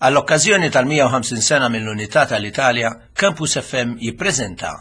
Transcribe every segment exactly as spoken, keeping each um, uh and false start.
Għall-okkażjoni tal-mija u ħamsin sena mill-Unità tal-Italja, Campus F M jippreżenta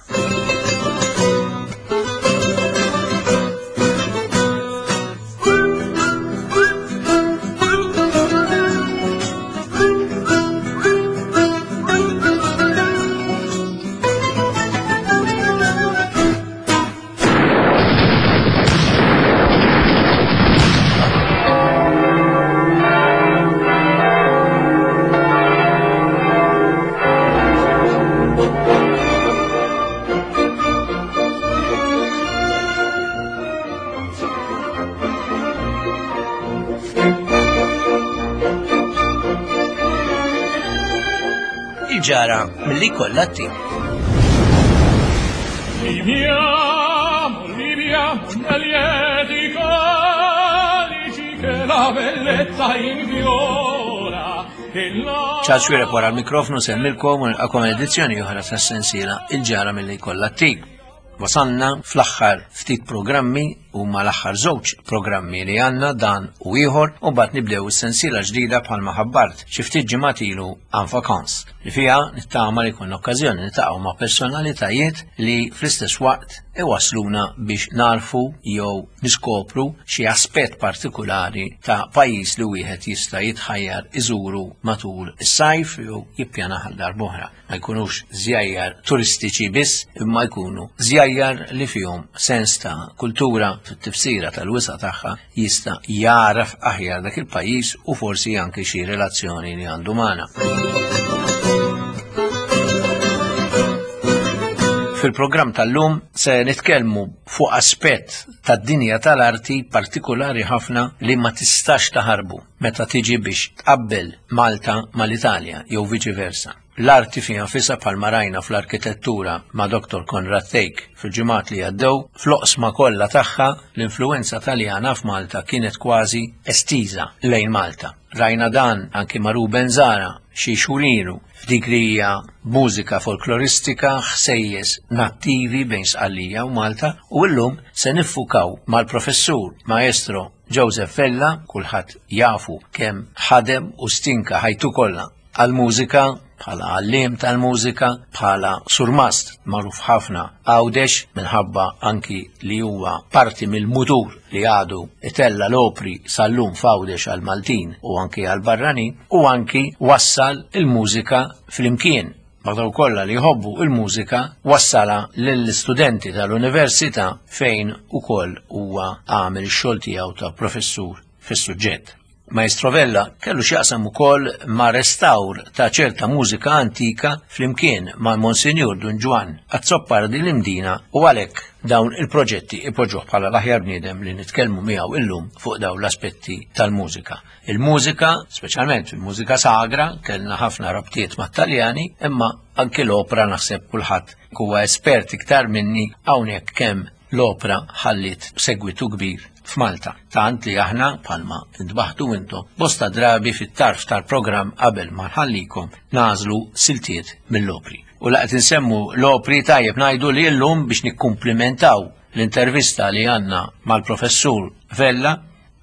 Il-ġara milli kollha tim. Viviamo, viviamo nel lieti calici che la bellezza infiora e la Charles Xuereb wara l-mikrofonu semmilkom u nilqakom edizzjoni oħra tas-sensiela Il-ġara milli kollha tim. Wasalna fl-aħħar ftit programmi u mal-aħħar żewġ programmi li għandna dan u ieħor u mbagħad nibdew is-sensiela ġdida bħalma ħabbart xi ftit ġimgħat ilu en vacances li fiha nittama li jkun okkażjoni niltaqgħu ma' personalitajiet li fl-istess waqt iwasluna biex narfu jew niskopru xi aspett partikulari ta' pajjiż li wieħed jista' jitħajjar iżuru matul is-sajf jew jippjana għal darb'oħra. Ma jkunux żjajjar turistiċi biss, imma jkunu żjajjar li fihom sens ta' kultura fit-tifsira tal-wisa' tagħha jista' jagħraf aħjar dak il-pajjiż u forsi anke xi relazzjoni li għandu magħna. Fil-programm tal-lum se nitkellmu fuq aspett tad-dinja tal-arti partikolari ħafna li ma tistax taħarbu meta tiġi biex tqabbel Malta mal-Italja jew viċi versa. L-arti fiha nfisha bħalma rajna fl-arkitettura ma' Doktor Konrad Thake fil-ġimgħat li għaddew, fl-oqsma kollha tagħha l-influenza Taljana f'Malta kienet kważi estiża lejn Malta. Rajna dan anki ma' Ruben Zahra xi xhur ilu f'dik li hija mużika folkloristika ħsejjes nattivi bejn Sqallija u Malta, u llum se niffukaw mal-professur Maestro Joseph Vella, kulħadd jafu kemm ħadem u stinka ħajtu kollha għall-mużika, bħala għalliem tal-mużika, bħala surmast magħruf ħafna Għawdex minħabba anki li huwa parti mill-mutur li għadu itella l-opri sal-lum f'Għawdex għal-Maltin u anki għal-barranin, u anki wassal il-mużika fl-imkien. Ma' dawk kollha li jħobbu il-mużika wassala lill-istudenti tal-università fejn ukoll huwa għamel ix-xogħol tiegħu ta' professur fis-suġġett. Maestro Vella kellu x'jaqsam ukoll ma' restawr ta' ċerta mużika antika flimkien ma' Monsinjur Dun Ġwann Azzopardi l-Imdina, u għalhekk dawn il-proġetti ipoġġuh bħala l-aħjar bniedem li nitkellmu miegħu illum fuq dawn l-aspetti tal-mużika. Il-mużika, speċjalment il-mużika sagra, kellna ħafna rabtiet mat-Taljani, imma anki l-opra naħseb kulħadd huwa espert iktar minni hawnhekk kemm l-opra ħalliet segwitu kbir f'Malta. Tant li aħna bħalma ntbaħtu intom bosta drabi fit-tarf tal-programm qabel ma nħallikom nażlu siltiet mill-opri. U laqgħet insemmu l-opri tajjeb ngħidu li llum biex nikkumplimentaw l-intervista li għandna mal-professur Vella,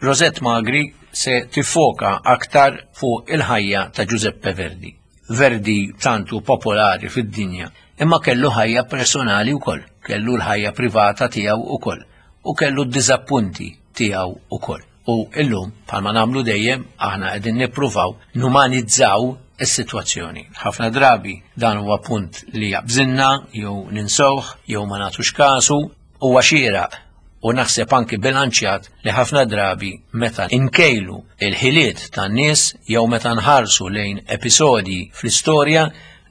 Rosette Magri se tifoka aktar fuq il-ħajja ta' Giuseppe Verdi. Verdi tantu popolari fid-dinja, imma kellu ħajja personali wkoll, kellu l-ħajja privata tiegħu wkoll, u kellu d-diżappunti tiegħu wkoll. U illum, bħalma nagħmlu dejjem, aħna qegħdin nippruvaw numanizzaw is-sitwazzjoni. Ħafna drabi dan huwa punt li jabżinna, jew ninsewh, jew ma nagħtux kasu, huwa xieraq u naħseb anki bilanċjat li ħafna drabi meta inkejlu il-ħiliet tan-nies jew meta nħarsu lejn episodji fl-istorja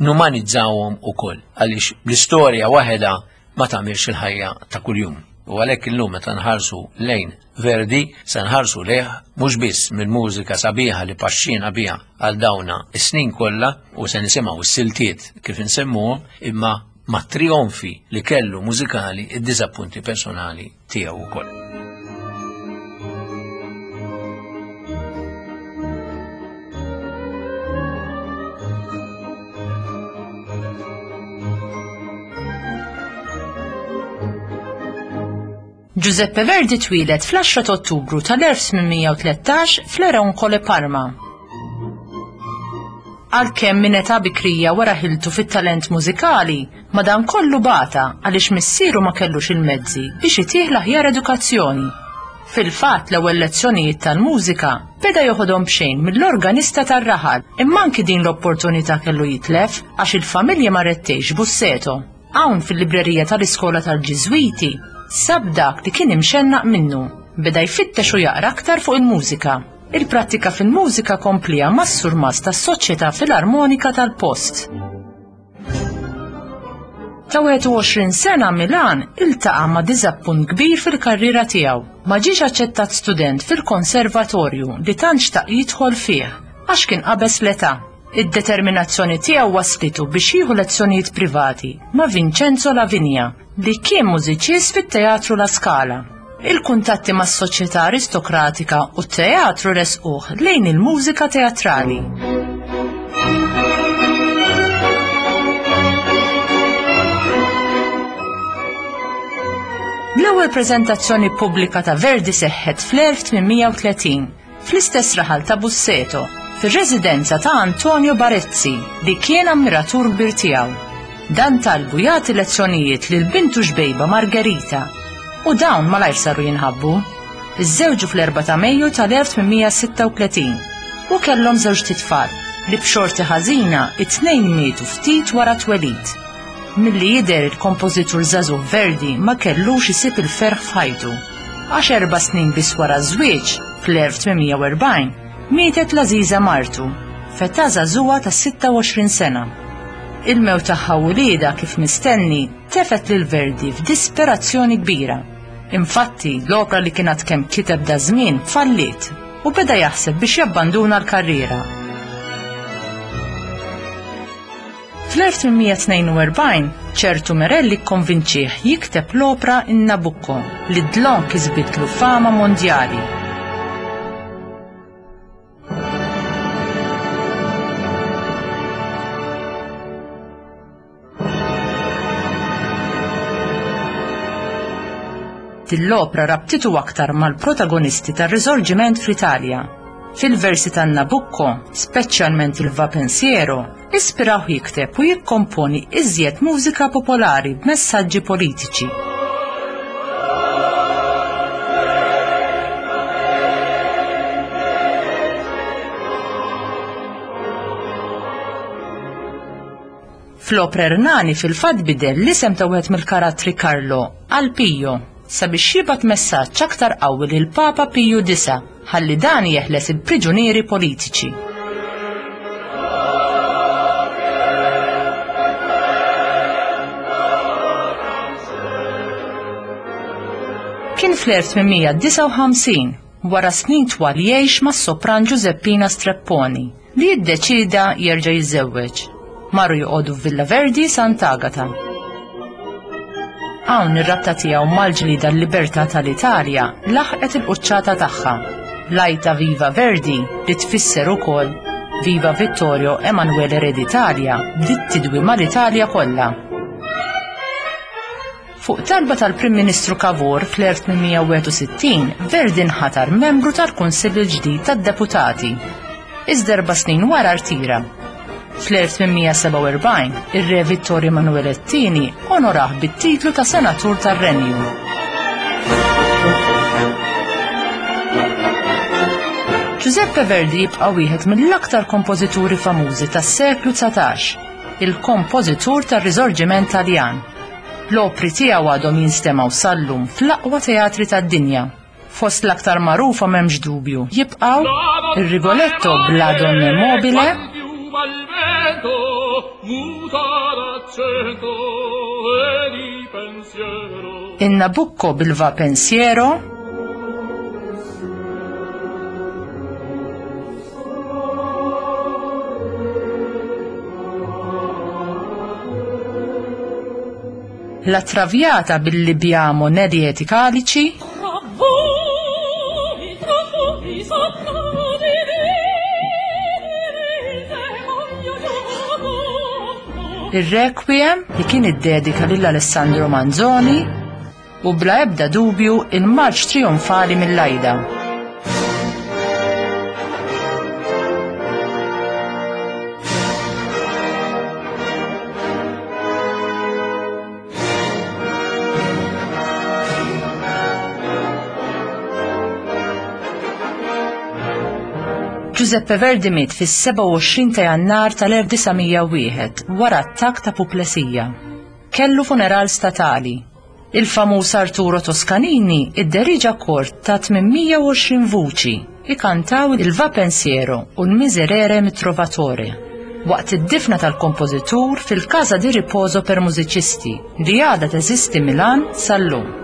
numanizzawhom ukoll, għaliex l-istorja waħedha ma tagħmilx il-ħajja ta' kuljum. U għalhekk illum meta nħarsu lejn Verdi se nħarsu lejh mhux biss mill-mużika sabiħa li paxxina biha għal dawna is-snin kollha u se nisimgħu s-siltiet kif insemmuhom, imma ma' trionfi li kellu mużikali id-diżappunti personali tiegħu wkoll. Giuseppe Verdi twieled fl-għaxra ta' Ottubru tal-elf tmien mija u tlettax fl-Eroncole Parma. Għalkemm minn età bikrija wara ħiltu fit-talent mużikali, madankollu bata għaliex missieru ma kellux il-mezzi biex itih l-aħjar edukazzjoni. Fil-fatt l-ewwel lezzjonijiet tal-mużika beda joħodhom b'xejn mill-organista tar-raħal, imma anki din l-opportunità kellu jitlef għax il-familja marret tgħix Busseto. Hawn fil-librerija tal-iskola tal-Ġiżwiti sab dak li kien imxennaq minnu, beda jfittex u jaqra aktar fuq il-mużika. Il-prattika fil-mużika komplija mas-surmast tas-Soċjetà Filarmonika tal-post. Ta' wieħed u għoxrin sena Milan iltaqa' ma' diżappunt kbir fil-karriera tiegħu. Ma ġiex aċċettat student fil-konservatorju li tant xtaq jidħol fih għax kien qabeż l-età. Id-determinazzjoni tiegħu waslitu biex jieħu lezzjonijiet privati ma' Vincenzo Lavinia li kien mużiċist fit-Teatru La Scala. Il-kuntatti mas-soċjetà aristokratika u t-teatru resquh lejn il-mużika teatrali. L-ewwel preżentazzjoni pubblika ta' Verdi seħħet fl-elf tmien mija u tletin fl-istess raħal ta' Busseto, fir-residenza ta' Antonio Barezzi li kien ammiratur kbir tiegħu. Dan talbu jagħti lezzjonijiet lil bintu xbejba Margherita u dawn malajr saru jinħabbu. Iżżewġu fl-erbgħa ta' Mejju tal-elf tmien mija sitta u tletin u kellhom żewġt itfal li b'xorti ħażina it-tnejn mietu ftit wara twelid. Milli jidher il-kompożitur żagħżugħ Verdi ma kellux isib il-ferħ f'ħajtu. Għax erba' snin biss wara ż-żwieġ, fl-elf tmien mija u erbgħin, mietet l-għażiża martu, f'età żagħżugħa ta' sitta u għoxrin sena. Il-mewt tagħha u wliedha kif mistenni tefet lil Verdi f'disperazzjoni kbira. Infatti, l-opra li kienet kemm kiteb da żmien falliet u beda jaħseb biex jabbanduna l-karriera. Fl-elf tmien mija tnejn u erbgħin, ċertu Merelli kkonvinċih jikteb l-opra in Nabucco li dlon kisbitlu fama mondjali. Din l-opra rabtitu aktar mal-protagonisti tar-Risorġiment fl-Italja. Fil-versi tan Nabucco, speċjalment il-Va Pensiero, ispiraw jikteb u jikkomponi iżjed mużika popolari b'messaġġi politiċi. Fl-opra Ernani fil-fatt bidel l-isem ta' wieħed mill-karattri Carlo għal Pio sabiex jibgħat messaġġ aktar qawwi lil Papa Piju disa' ħalli dan jeħles il-priġunieri politiċi. Kien fl-elf tmien mija disgħa u ħamsin, wara snin twal jgħix mas-sopran Giuseppina Strepponi, li jiddeċida jerġa' jiżżewweġ. Marru joqogħdu f'Villa Verdi Sant'Agata. Hawn ir-rabta tiegħu mal-ġlieda l-libertà tal-Italja laħqet il-quċċata tagħha. L-għajta Viva Verdi, li tfisser ukoll Viva Vittorio Emanuele Re d'Italia, bdiet tidwi mal-Italja kollha. Fuq talba tal-Prim Ministru Cavour fl-elf tmien mija wieħed u sittin, Verdi nħatar membru tal-Kunsill il-ġdid tad-Deputati. Iżda erba' snin wara rtira. Fl-elf tmien mija sebgħa u erbgħin, ir-Re Vittorio Emanuele it-tieni onorah bit-titlu ta' Senatur tar-Renju. Giuseppe Verdi jibqa' wieħed mill-aktar kompożituri famużi tas-seklu dsatax, il-kompożitur tar-Risorġiment Taljan. L-opri tiegħu għadhom jinstemgħu sal-lum fl-aqwa teatri tad-dinja. Fost l-aktar magħrufa m'hemmx dubju jibqgħu ir-Rigoletto bla Donne Mobile, il Nabucco bil-Va Pensiero, La Traviata bil-Libiamo ne' lieti calici, il-Requiem li kien iddedika lil Alessandro Manzoni u bla ebda dubju il-Marċ Trionfali mill-Aida. Giuseppe Verdi miet fis-sebgħa u għoxrin ta' Jannar tal-elf disa' mija u wieħed wara attakk ta' puplesija. Kellu funeral statali. Il-famuż Arturo Toscanini idderiġa kor ta' tmien mija u għoxrin vuċi ikantaw il-Va Pensiero u l-Miserere mit-Trovatore waqt id-difna tal-kompożitur fil-Casa di Riposo per Musicisti li għadha teżisti Milan sal-lum.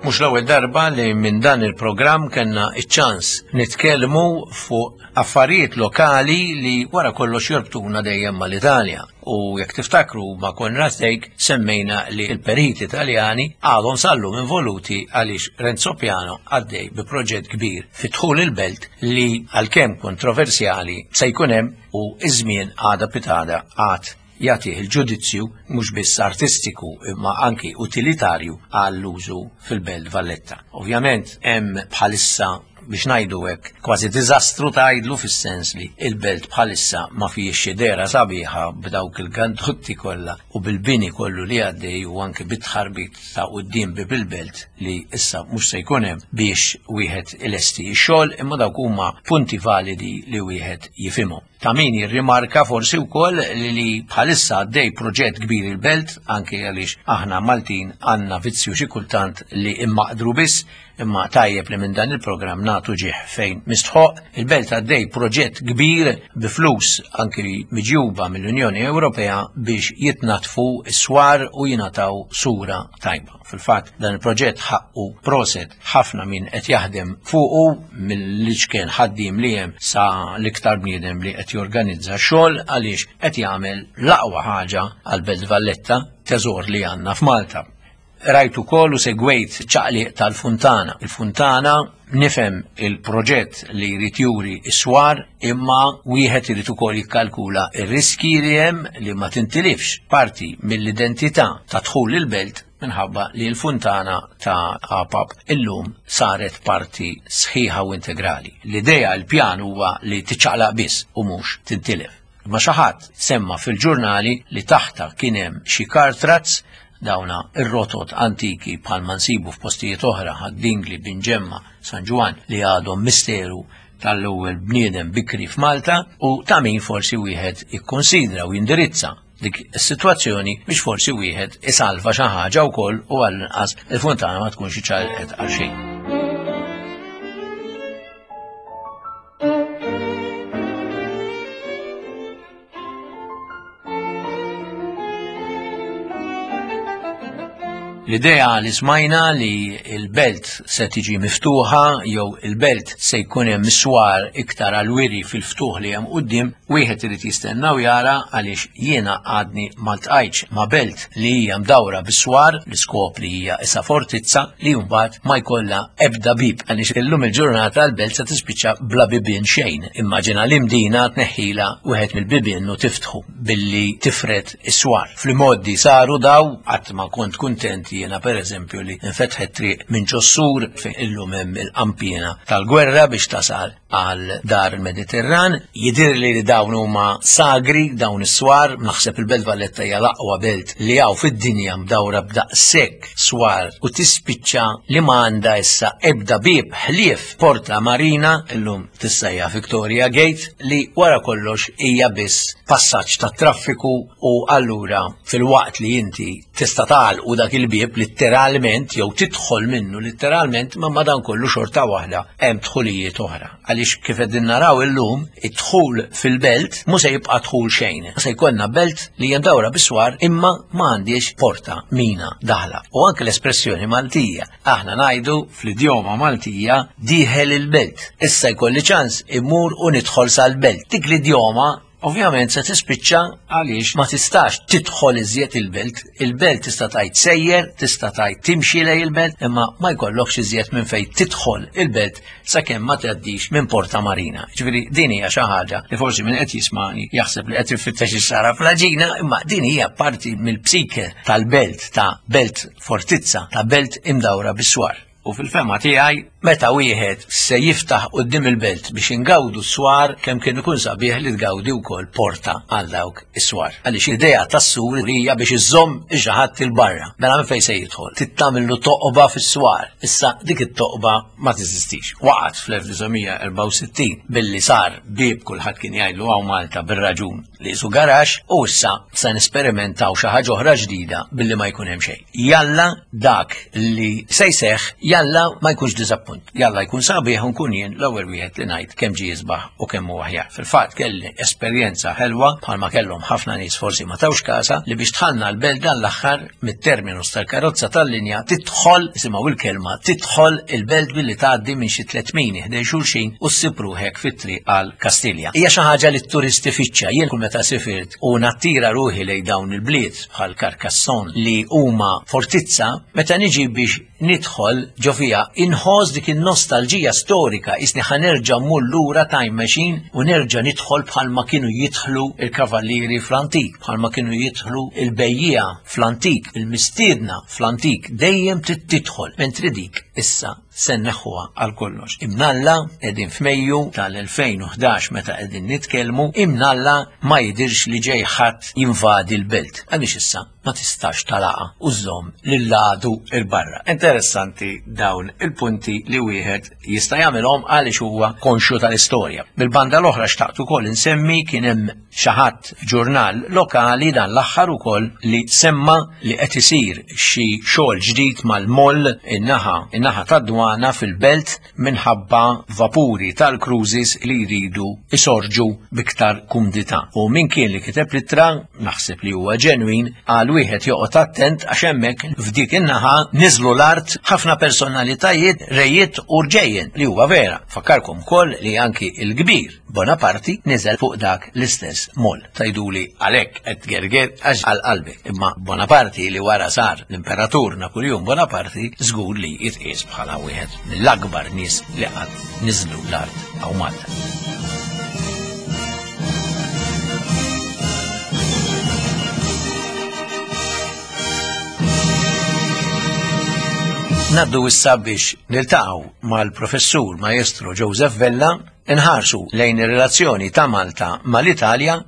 Mhux l-ewwel darba li minn dan il-programm kellna iċ-ċans nitkellmu fuq affarijiet lokali li wara kollox jorbtuna dejjem mal-Italja. U jekk tiftakru ma' Konrad Thake semmejna li l-periti Italjani għadhom sallum involuti għaliex Renzo Piano għaddej bi proġett kbir fi dħul il-belt li għalkemm kontroversjali se jkun hemm u iż-żmien għada pitada għad jagħtih il-ġudizzju mhux biss artistiku imma anki utilitarju għall-użu fil-Belt Valletta. Ovvjament hemm bħalissa biex ngħidu hekk kważi diżastru tgħidlu fis-sens li il-belt bħalissa ma fihiex xi dehra sabiħa b'dawk il-gandotti kollha u bil-bini kollu li għaddej u anke bit-tħarbit ta' quddiem bib il-belt li issa mhux se jkun hemm biex wieħed ilesti x-xogħol, imma dawk huma punti validi li wieħed jifhimhom. Ta' min jirrimarka forsi wkoll li bħalissa għaddej proġett kbir il-belt, anke għaliex aħna Maltin għandna vizzju xi kultant li immaqdru biss, imma tajjeb li minn dan il-programm nagħtu ġieħ fejn mistħoq. Il-belt għaddej proġett kbir bi flus anke miġjuba mill-Unjoni Ewropea biex jitnatfu s-swar u jingħataw sura tajba. Fil-fatt dan il-proġett ħaqqu proset ħafna min qed jaħdem fuqu mill-iċken ħaddiem li hemm sa l-iktar bniedem li qed jorganizza xogħol għaliex qed jagħmel l-aqwa ħaġa għall-Belt Valletta, teżor li għandna f'Malta. Rajt ukoll u segwejt ċaqliq tal-Funtana. Il-Funtana nifhem il-proġett li jrid juri s-swar, imma wieħed irid ukoll jikkalkula r-riski li hemm li ma tintilifx parti mill-identità ta' dħul il-belt minħabba li l-Funtana ta' Apap illum saret parti sħiħa u integrali. L-idea, il-pjan huwa li tiċċaqlaq biss u mhux tintilef. Ma xi ħadd semma fil-ġurnali li taħta kien hemm xi kartrazz, dawna ir-rotot antiki bħalma nsibu f'postijiet oħra, Ħad-Dingli, Binġemma, San Ġwann, li għadhom misteru tal-ewwel bniedem bikri f'Malta, u ta' min forsi wieħed ikkonsidra u jindirizza dik is-sitwazzjoni biex forsi wieħed isalva xi ħaġa wkoll u għall-inqas il-funtana ma tkunx iċċaqalqet għal xejn. L-idea li smajna li il-belt se tiġi miftuħa jew il-belt se jkun hemm swar iktar għal-wiri fil-ftuħ li hemm quddiem, wieħed irid jistenna u jara, għaliex jiena għadni ma ltqajtx ma' belt li hija mdawra bis-swar, l-iskop li hija issa fortizza li mbagħad ma jkollha ebda bib, għaliex illum il-ġurnata l-belt se tispiċċa bla bibien xejn. Immaġina l-Imdina tneħħila wieħed mill-bibien u tiftħu billi tifred is-swar. Fl-modi saru daw, qatt ma kont kuntent jiena per eżempju li nfetħet triq minn ġossur fejn illum hemm il-qampina tal-gwerra biex tasal għal dar il-Mediterran. Jidir li dawn huma sagri dawn is-swar, naħseb il-Belt Valletta hija l-aqwa belt li hawn fid-dinja mdawra b'daqshekk swar u tispiċċa li ma għandha issa ebda bieb ħlief Porta Marina, illum tissejja Victoria Gate, li wara kollox hija biss passaġġ tat-traffiku, u allura fil-waqt li inti tista' tagħlqu dak il-bieb litteralment jew tidħol minnu litteralment, ma madan kollu xorta waħda hemm dħulijiet oħra. Għaliex kif qegħdin naraw illum, id-dħul fil-belt mhux se jibqa' dħul xejn. Se jkollna belt li hija mdawra bis-swar imma ma għandix porta mina daħla. U anke l-espressjoni Maltija, aħna ngħidu fl-idjoma Maltija dieħel il-belt. Issa jkolli ċans immur u nidħol sal-belt. Dik l-idjoma ovvjament se tispiċċa għaliex ma tistax tidħol iżjed il-belt. Il-belt tista' tgħid sejjer, tista' tgħid timxi lej il-belt, imma ma jkollokx iżjed minn fejn tidħol il-belt sakemm ma tgħaddix minn Porta Marina. Ġifieri din hija xi ħaġa li forsi min qed jismani jaħseb li qed ifittex ix-xara fl-għaġina, imma din hija parti mill-psike tal-belt, ta' belt fortizza, ta' belt imdawra bis-swar. U fil-fema tiegħi, meta wieħed se jiftaħ quddiem il-belt biex ingawdu s-swar, kemm kien ikun sabiħ li tgawdi wkoll porta għal dawk is-swar. Għaliex l-idea tas-sur hija biex iżomm ix-xi il barra. Mela minn fejn se jidħol? Tittamillu toqba fis-swar. Issa dik it-toqba ma teżistix. Waqgħet fl-elf disa' erbgħa u sittin billi sar bieb kulħadd kien jgħidlu hawn Malta bir-raġun li qisu garax, u issa se nesperimentaw xi ħaġa oħra ġdida billi ma jkun hemm xejn. Jalla dak li se jseħħ, jalla ma jkunx diżappunt. Jalla jkun sabiħ u nkun jien l-ewwel wieħed li ngħid kemm ġie jisbaħ u kemm huwa aħjar. Fil-fatt kelli esperjenza ħelwa bħalma kellhom ħafna nies forsi ma tawx kasa li biex tħallna l-belt dan l-aħħar mit-terminus tal-karozza tal-linja tidħol, isimgħu il-kelma, tidħol il-belt billi tgħaddi minn xi tliet mini ħdejn xulxin u ssib ruħek fit-triq għal Kastilja. Hija xi ħaġa li t-turisti fittxa. Jien kull meta sifirt u nattira ruħi lejn dawn il-bliet bħal Carcassonne li huma fortizza, meta niġi biex nidħol ġo fija inħoss dik in-nostalġija storika, isni ħanerġa' mmur lura time machine u nerġa' nidħol bħalma kienu jidħlu il-kavallieri fl-antik, bħalma kienu jidħlu il-bejjiegħa fl-antik, il-mistiedna fl-antik, dejjem trid tidħol, mentri dik issa se nneħħuha għal kollox. Imnalla qegħdin f'Mejju tal-elfejn u ħdax meta qegħdin nitkellmu, imnalla ma jidirx li ġej ħadd jinvadi l-belt, għaliex issa ma tistax talaqa u żżomm lill-għadu il-barra. Interessanti dawn il-punti li wieħed jista' jagħmilhom għaliex huwa konxju tal-istorja. Bil-banda l-oħra xtaqt ukoll insemmi kien hemm xi ħadd ġurnal lokali dan l-aħħar ukoll li semma li qed isir xi xogħol ġdid mal-moll in-naħa, in-naħa tad-dwana fil-belt minħabba vapuri tal-cruises li jridu isorġu biktar kumdità. U min kien li kiteb l-ittra, naħseb li huwa ġenwin, għal wieħed joqgħod attent għax hemmhekk f'dik in-naħa niżlu l-art ħafna personalitajiet, rejiet u rġejjen, li huwa vera. Fakkarkom ukoll li anki il-kbir Bonaparte niżel fuq dak l-istess moll. Tajduli għalhekk qed gerger għax għal qalbi. Imma Bonaparte li wara sar l-Imperatur Napoleon Bonaparte żgur li jitqies bħala wieħed mill-akbar nies li qatt niżlu l-art hawn Malta. Naddu issa biex niltaqgħu mal-professur Maestro Joseph Vella inħarsu lejn ir-relazzjoni ta' Malta mal-Italja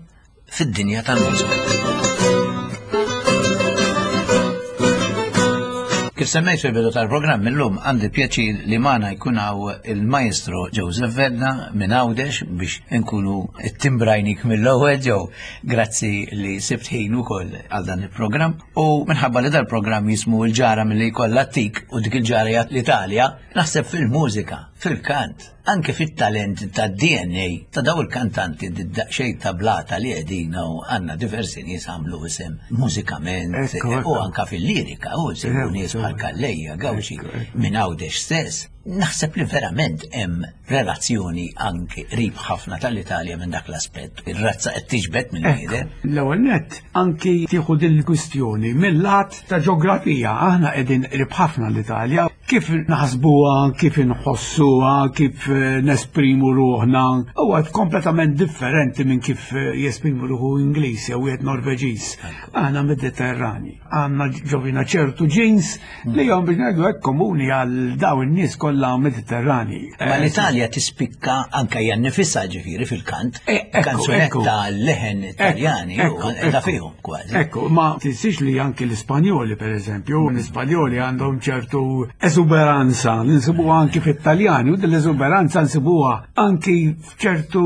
fid-dinja tal-mużika. Kif semmejt fil-bidu tal-programm illum, għandi pjaċir li magħna jkun hawn il-maestro Joseph Vella minn Għawdex biex nkunu timbrajnik mill-ewwel. Joe, grazzi li sibt ħin ukoll għal dan il-programm. U minħabba li dal-programm jismu l-ġara milli jkollha ttik u dik il-ġara hija l-Italja, naħseb fil-mużika, fil-kant, anke fit-talent ta' D N A ta' daw il-kantanti, daqsxejn ta' blata li qegħdin u għandna diversi nies għamlu isem mużikament Ekku, u ekku. anka fil-lirika u sibu Ekku, nies bħal Calleja, Gauci, Ekku, ekku. minn Għawdex stess. Naħseb li verament hemm relazzjoni anke qrib ħafna tal-Italja minn dak l-aspett. Ir-razza qed tiġbed minn bniedem. L-ewwel nett, anki tieħu din il-kwistjoni mill-lat ta' ġeografija, aħna qegħdin qrib ħafna l-Italja. Kif naħsbuha, kif inħossuha, kif eh, nesprimu ruħna, huwa kompletament differenti minn kif eh, jesprimu ruħu Ingliż jew wieħed Norveġiż. Aħna Mediterrani, għandna ġo fina ċertu genes li jom biex ngħidu hekk komuni għal daw in-nies kollha Mediterrani. Ma l-Italja tispikka anka hija nifisha, ġifieri fil-kant, Eh, ekku, kanzunetta ekku. leħen Italjani u Ekku, qiegħda ekku. fihom kważi. Ekku, ma tinsiex li anki l-Ispanjoli, per eżempju, l-Ispanjoli għandhom ċertu eżuberanza, li nsibuha anki fit-Taljani, u l-eżuberanza nsibuha anki f'ċertu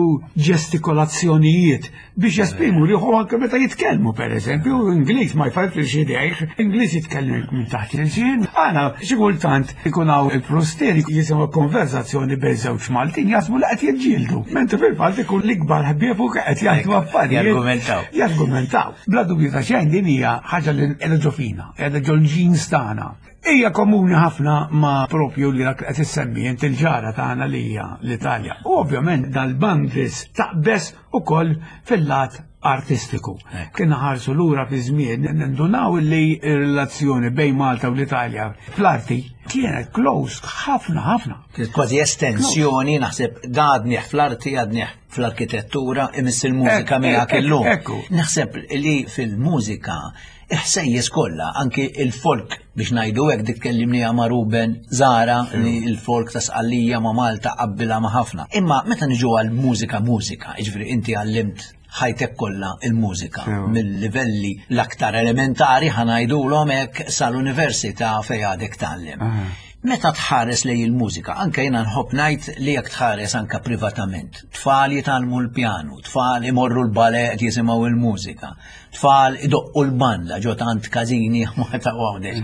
ġestikolazzjonijiet biex jesprimu ruħhom anke meta jitkellmu, per eżempju, Ingliż ma jfarfirx idejh, Ingliż jitkellem minn taħt il-lsien. Għana, xi kultant ikun hawn il-frusteri jisimgħu konverzazzjoni bejn żewġ Maltin, jaħsbu li qed jiġġieldu. Mentri fil-fatt ikun l-ikbar ħbieb u qed jgħidu affarijiet. Jargumentaw. Jargumentaw. Bla dubju ta' xejn din hija ħaġa li qiegħda ġo fina, qiegħda ġol genes tagħna. Hija komuni ħafna ma' propju li dak qed issemmi int, il-ġara tagħna li hija l-Italja. U ovvjament dal-boundaries taqbes ukoll fil-lat artistiku. Kien ħarsu lura fi żmien, nindunaw li r-relazzjoni bejn Malta u l-Italja fl-arti kienet close ħafna ħafna. Kienet kważi estensjoni, naħseb da għadnieh fl-arti, għadnieh fl-arkitettura, imiss il-mużika Ek- miegħek ek- illum. Ekku. Naħseb li fil-mużika iħsejjes kollha, anki il-folk biex ngħidu hekk, dik tkellimni ma' Ruben Zara li il-folk ta' Sqallija ma' Malta qabbilha ma' ħafna. Imma meta niġu għal mużika mużika, jiġifieri inti għallimt ħajtek kollha il-mużika Sewa. mill-livelli l-aktar elementari, ħa ngħidulhom hekk, sal-università fejn għadek tgħallem. Meta tħares lej il-mużika, anke jiena nħobb ngħid li jekk tħares anka privatament, tfal jitgħallmu l-pjanu, tfal imorru l-ballet jisimgħu il-mużika, tfal idoqqu l-banda ġo tant każini ma ta' Għawdex.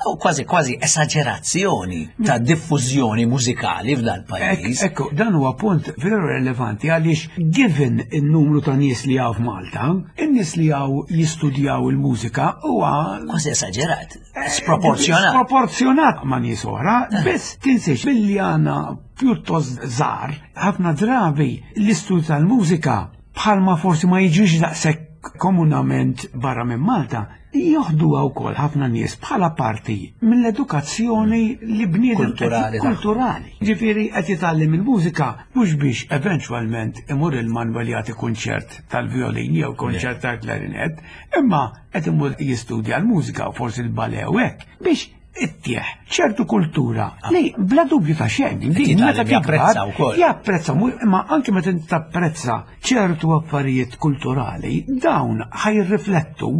U kważi kważi esaġerazzjoni ta' diffużjoni mużikali f'dal pajjiż. Ekku, dan huwa punt veru relevanti għaliex given il-numru ta' nies li hawn f'Malta, in-nies li hawn jistudjaw il-mużika huwa Kważi esaġerat, sproporzjonat. Sproporzjonat ma' nies oħra, biss tinsiex billi għandna pjuttost żgħar, ħafna drabi l-istudju tal-mużika bħalma forsi ma jiġix daqshekk komunament barra minn Malta, joħduha wkoll ħafna nies bħala parti mill-edukazzjoni li bniedem Kulturali tagħhom. Kulturali. Ġifieri qed jitgħallem il-mużika mhux biex eventwalment imur il-Manwel jagħti kunċert tal-violin jew kunċert tal-klarinet, imma qed imur jistudja l-mużika u forsi l-ballet u hekk biex ittieħ ċertu kultura li bla dubju ta' xejn din jitgħallem meta tikbar japprezza wkoll. Japprezza, mu- imma anke meta inti tapprezza ċertu affarijiet kulturali, dawn ħa jirriflettu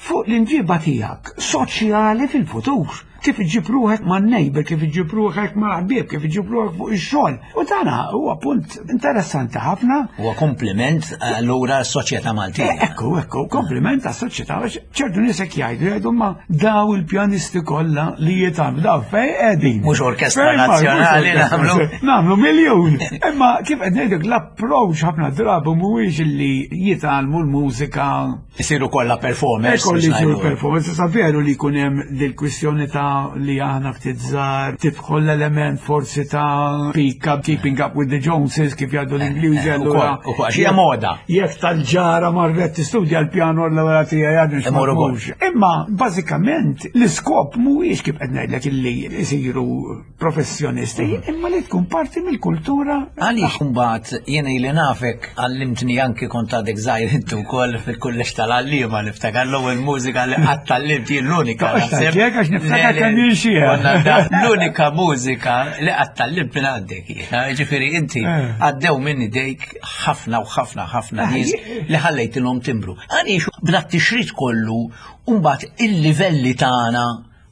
fuq l-imġiba tiegħek soċjali fil-futur. Kif iġib ruħek ma' neighbor, kif iġib ruħek ma' ħbieb, kif iġib ruħek fuq ix-xogħol. U dana huwa punt interessanti ħafna. Huwa kompliment allura s-soċjetà Maltija. Eh, Ekku, ekku, kompliment ta' soċjetà, għax ċertu nies hekk jgħidu, jgħidu ma daw il-pjanisti kollha li jitgħallmu, daw fej qegħdin? Mhux orkestra Fejn ma- mhux nazzjonali orkestra nagħmlu. Nagħmlu miljun. Imma kif qed ngħidlek, l-approach ħafna drabi mhuwiex li jitgħallmu l-mużika. Isiru kollha performers. Ekku li biex jsiru ngħidu. performance, sa veru li jkun hemm dil-kwistjoni ta' li aħna ftit żgħar, tidħol l-element forsi ta' pick up, keeping up with the Joneses, kif jgħidu l-Ingliżi. eh, Allura ukoll, ukoll, għax hija moda. Jekk tal-ġara marret tistudja l-pjano, l-ewwel tiegħi għadu Imur ukoll. Imma bażikament l-iskop mhuwiex kif qed ngħidlek illi jsiru professjonisti, imma li tkun parti mill-kultura. Għaliex mbagħad jiena ili nafek għallimtni anki kont għadek żgħir inti wkoll fil-kulleġġ tal-għalliema, niftakar l-ewwel mużika li qatt tgħallimt jien, l-unika. Toqgħodx naħseb. tgħid għax niftakar Le, le, kemm jien xieħ. konna da- L-unika mużika li qatt tgħallimt minn għandek jiena. Ġifieri inti Eh. għaddew minn idejk ħafna u ħafna ħafna Eh, nies li ħallejtilhom timbru. Għaliex bla tixrid kollu mbagħad il-livelli tagħna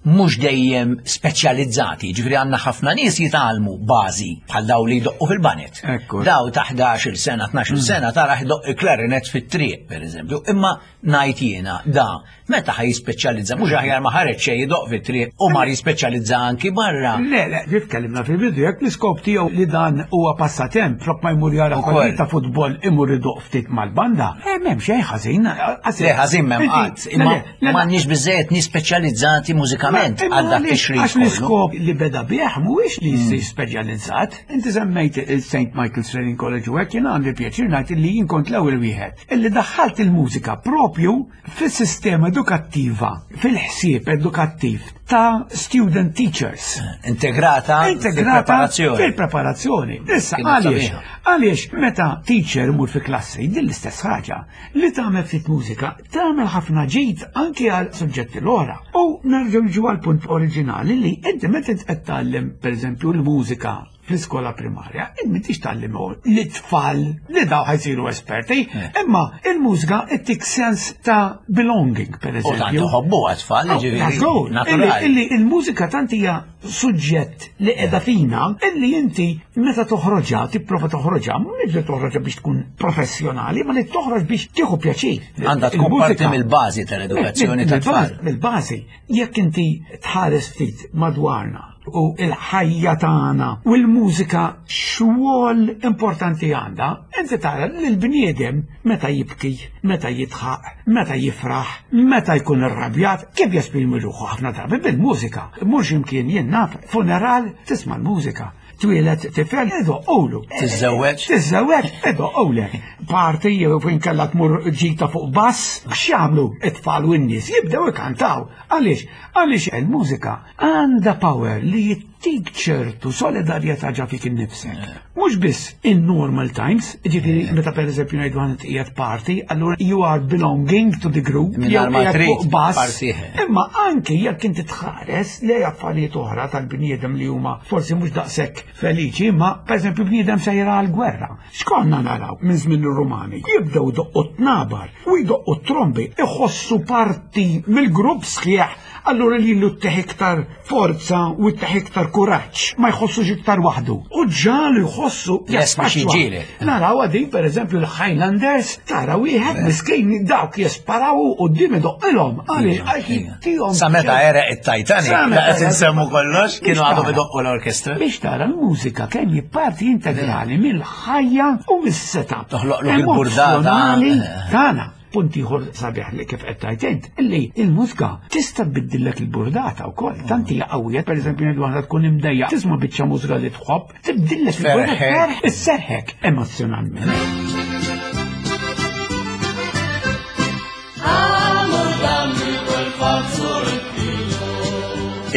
mhux dejjem speċjalizzati, ġifieri għandna ħafna nies jitgħallmu bażi bħal daw li jdoqqu fil-baned. Ekku. Daw ta' ħdax-il sena, tnax-il sena tara jdoqq il-klarinet fit-triq, pereżempju. Imma ngħid jiena da meta ħa jispeċjalizza, mhux aħjar ma ħareġ xejn jdoqq fit-triq u mar jispeċjalizza anki barra. Le, le, kif tkellimna fil-bidu, jekk l-iskop tiegħu li dan huwa passatemp, flok ma jmur jara Ukoll. partita futbol imur idoqq ftit mal-banda, eh, m'hemm xejn ħażin. Le, ħażin m'hemm qatt, imma m'għandniex biżejjed nies speċjalizzati mużikament għal dak tixrid Għax kollu. l-iskop li beda bih mhuwiex li jsir speċjalizzat. Inti semmejt il-Saint Michael's Training College u hekk, jiena għandi pjaċir ngħid li jien kont l-ewwel wieħed illi daħħalt il-mużika propju fis-sistema edukattiva, fil-ħsieb edukattiv ta' student teachers. Integrata Integrata fil-preparazzjoni. Fil-preparazzjoni. Issa, Kienet għaliex? sabiħa. Għaliex meta teacher imur fi klassi, din l-istess ħaġa, li tagħmel ftit mużika, tagħmel ħafna ġid anke għal suġġetti l-oħra. U nerġgħu niġu għal punt oriġinali li inti meta qed tgħallem pereżempju l-mużika fl-iskola primarja, inti m'intix tgħallem l-tfal li daw ħa jsiru esperti, imma il-mużika ittik sens ta' belonging, per U tant eżempju. iħobbu għat-tfal, ġifieri. Żgur, Naturali. Illi il-mużika tant hija suġġett li qiegħda fina, illi inti meta toħroġha, tipprova toħroġha, mhux li toħroġha biex tkun professjonali, ma li toħroġ biex tieħu pjaċir. Għandha tkun Il-mużika- parti mill-bażi tal-edukazzjoni tat-tfal. Mill-bażi. Jekk inti tħares ftit madwarna u il-ħajja tagħna u l-mużika xogħol importanti għandha, inti tara li l-bniedem meta jibki, meta jidħaq, meta jifraħ, meta jkun irrabjat, kif jesprimi ruħu ħafna drabi bil-mużika. Mhux imkien jien naf, funeral tisma' l-mużika. Twieled tifel, idoqqulu. Tiżżewweġ? Tiżżewweġ, idoqqulek. Party jew fejn kellha tmur ġita fuq bass, x'jagħmlu it-tfal u n-nies jibdew ikantaw. Għaliex? Għaliex il-mużika għandha power li jittik ċertu solidarjetà ġa fik innifsek. Mhux biss in normal times, ġifieri meta pereżempju ngħidu għand qiegħed party, allura you are belonging to the group, Mingħajr jew ma qiegħed trid fuq bass. party. Imma anki jekk inti tħares li affarijiet oħra tal-bniedem li huma forsi mhux daqshekk feliċi, imma pereżempju bniedem sejra għall-gwerra. X'konna naraw minn żmien ir-Rumani? Jibdew idoqqu tnabar u jdoqqu trombi, iħossu parti mill-grupp sħiħ. Allura li l teħ iktar forza u teħ iktar kuraġġ, ma jħossux iktar waħdu. U ġalu jħossu Lest biex jaffaċċwa. jiġġieled. Naraw għadi, per eżempju, l-Highlanders, tara wieħed miskin dawk jisparaw u d-dim idoqqilhom. Għaliex, għax jittihom. Sa meta għereq it-Titanic, Sa meta la qed insemmu kollox, kienu Biex għadhom tara. idoqqu l-orkestra. Biex tara l-mużika kemm hi parti integrali mill-ħajja u mis-setup. Toħloqlok il-burdata. Emozzjonali tagħna. Punt ieħor sabiħ li kif qed tgħid int, illi il-mużika tista' tbiddillek il-burdata wkoll. Tant hija qawwija, pereżempju ngħidu aħna tkun imdejja, tisma' biċċa mużika li tħobb, tibdillek il-burdata, Tferrħek. isserħek emozjonalment.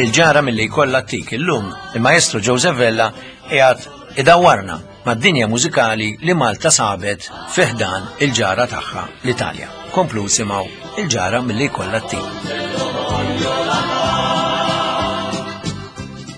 Il-ġara milli jkollha ttik illum, il-maestro Joseph Vella qiegħed idawwarna mad-dinja mużikali li Malta sabet fi ħdan il-ġara tagħha l-Italja. Komplu simgħu il-ġara milli jkollha ttik.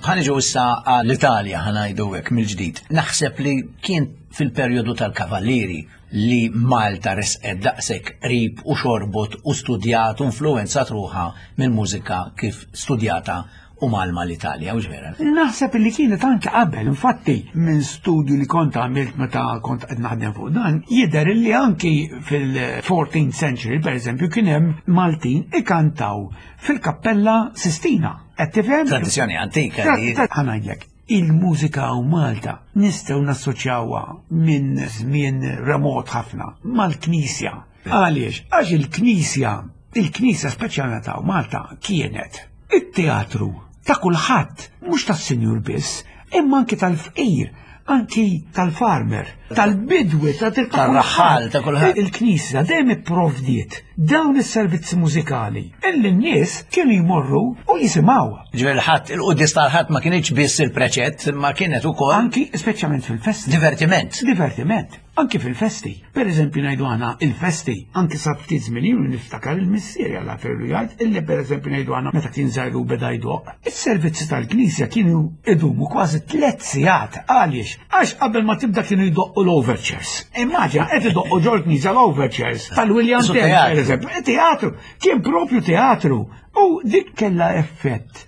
Ħa niġu issa għall-Italja ħa ngħidu hekk mill-ġdid. Naħseb li kien fil-perjodu tal-Kavallieri li Malta resqet daqshekk qrib u xorbot u studjat u influenzat ruħha mill-mużika kif studjata u malma l-Italja, u vera. Naħseb li kienet anke qabel, infatti minn studju li kont għamilt meta kont qed naħdem fuq dan, jidher li anki fil-fourteenth century, per eżempju, kien hemm Maltin ikantaw fil-Kappella Sistina. Qed tifhem? Tradizzjoni antika li Ħa ngħidlek, il-mużika u Malta nistgħu nassoċjawha minn żmien remot ħafna mal-Knisja. Għaliex? Għax il-Knisja, il-Knisja speċjalment ta' Malta kienet it-teatru ta' kulħadd, mhux tas-sinjur biss, imma anki tal-fqir, anki tal-farmer, tal-bidwi, ta' Tal-raħħal, ta' kulħadd. Il-Knisja dejjem ipprovdiet dawn is-servizzi mużikali illi n-nies kienu jmorru u jisimgħu. Ġifieri l-Ħadd, il-quddies tal-Ħadd ma kienx biss il-preċett, ma kienet ukoll Anki speċjalment fil-festa. divertiment. Divertiment. Anki fil-festi. Per eżempju ngħidu aħna il-festi, anki sa ftit żmien ilu niftakar il-missieri għal ferru jgħid illi per eżempju ngħidu aħna meta kien żgħir u beda jdoqq. Is-servizzi tal-Knisja kienu idumu kważi tliet sigħat għaliex għax qabel ma tibda kienu jdoqqu l-overtures. Immaġina qed idoqqu ġol knisja l-overtures tal-William Isu Tell, per teatru. eżempju. Teatru, kien propju teatru. U dik kella effett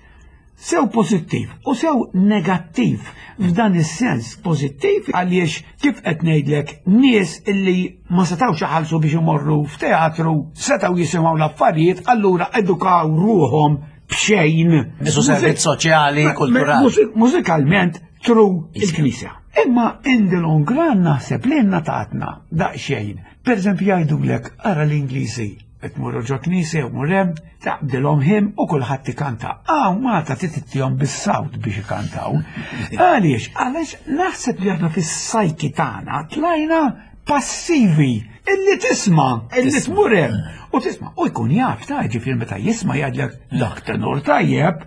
sew pozittiv u sew negattiv f'dan is-sens pozittiv għaliex kif qed ngħidlek nies illi ma setgħux iħallsu biex imorru f'teatru setgħu jisimgħu l-affarijiet allura edukaw ruhom b'xejn. Isu servizz soċjali, kulturali. Mużik- Mużikalment through il-Knisja. Imma in the long run naħseb li tatna daqsxejn. Per eżempju jgħidulek ara l-Ingliżi qed tmurru ġo knisja u mur hemm, taqbdilhom hymn u kulħadd ikanta. Aw Malta titittihom bis-sawt biex ikantaw. Għaliex, għaliex naħseb li aħna fis-psyche tagħna tlajna passivi illi tisma, illi tmur hemm u tisma' u jkun jaf ta' ġifieri meta jisma' jgħidlek dak tenor tajjeb,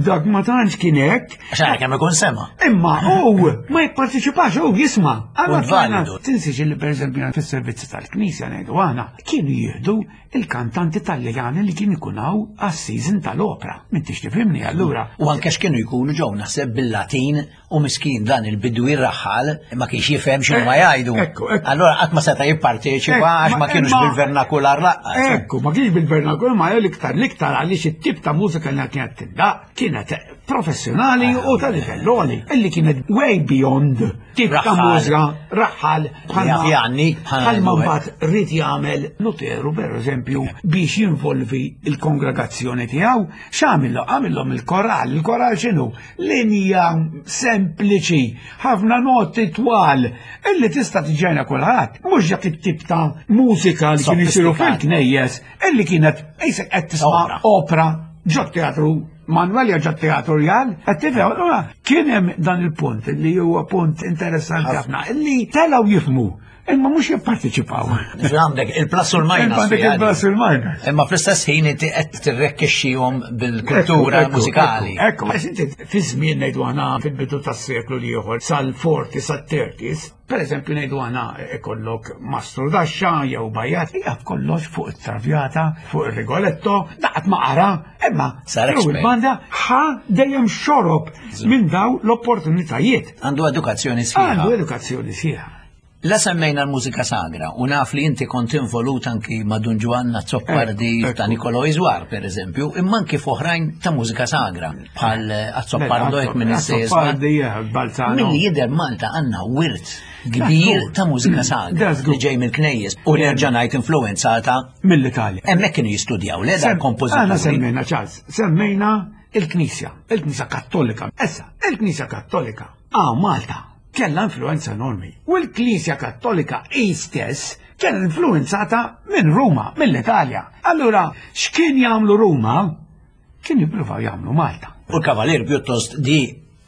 dak ma tantx kien hekk. Għax għara kemm ikun sema. Imma u ma jipparteċipax u jisma'. Għanna Punt validu. Tinsiex li per eżempju fis-servizzi tal-Knisja ngħidu aħna kienu jieħdu il-kantanti Taljani li kien ikunaw għas-season tal-opera. M'intix tifhimni allura. U anke x'kienu jkunu ġew naħseb bil-Latin u miskin dan il-bidwi raħal ma kienx jifhem x'inhu ma jgħidu. Ekku, ekku. Allora qatt ma seta' jipparteċipa għax ma kienux Imma- bil-vernakular lanqas. Ekku, ma kienx bil-vernakular, ma l-iktar l-iktar għaliex it-tip ta' mużika li kienet tindaq kienet professjonali u ta' livell għoli, illi kienet way beyond tip ta' Raħħal. mużika, raħħal, Jaf jgħanni, bħalma bħalma ngħidu mbagħad ried jagħmel Luteru per eżempju biex jinvolvi il-kongregazzjoni tiegħu, x'għamillu? Għamillhom il-koral, il-koral x'inhu? Linja sempliċi, ħafna noti twal, illi tista' tiġġajna kulħadd, mhux dak it-tip ta' mużika li kienu jsiru Sofistikata. fil-knejjes, illi kienet qisek qed tisma' Opera. opera ġo teatru Manuel jew ġo teatru Rjal, qed tifhem, allura kien hemm dan il-punt li huwa punt interessanti ħafna, illi telgħu jifhmu, imma mhux jipparteċipaw. Għandek il-plus u l-minus. Għandek fiha il-plus u l-minus. Imma fl-istess ħin inti qed tirrekkixxihom bil-kultura Ekku, ekku, mużikali. Ekku, għax inti fi żmien ngħidu aħna fil-bidu tas-seklu l-ieħor sal-forty sat-thirties, per eżempju ngħidu aħna ikollok mastru daxxa jew bajjat, jaf kollox fuq it-Traviata, fuq ir-Rigoletto, daqt ma qara, imma Sar through expert. il-banda ħa dejjem xorob minn daw l-opportunitajiet. Għandu edukazzjoni sħiħa. Għandu edukazzjoni sħiħa. La semmejna l-mużika sagra u naf li inti kont involut anki ma' Dun Ġwanna Azzopardi Ekku, ta' ekku. Nikolo Iżwar, per eżempju, imma anki f'oħrajn ta' mużika sagra, bħal Azzopardo jekk minn Azzopardi, eh, Balzano. Milli jidher Malta għandna wirt kbir That's ta' mużika sagra That's good. li ġej mill-knejjes u nerġa' ngħid influenzata Mill-Italja. hemmhekk kienu jistudjaw le dan Sem- Aħna kompożituri. semmejna Charles, semmejna il-Knisja, il-Knisja Kattolika. Issa, il-Knisja Kattolika, ah Malta, kella influenza enormi. U l-Knisja Kattolika i stess kella influenzata minn Ruma, mill-Italja. Allura, x'kien jagħmlu Ruma? Kien jippruvaw jagħmlu Malta. U l-Kavalier pjuttost di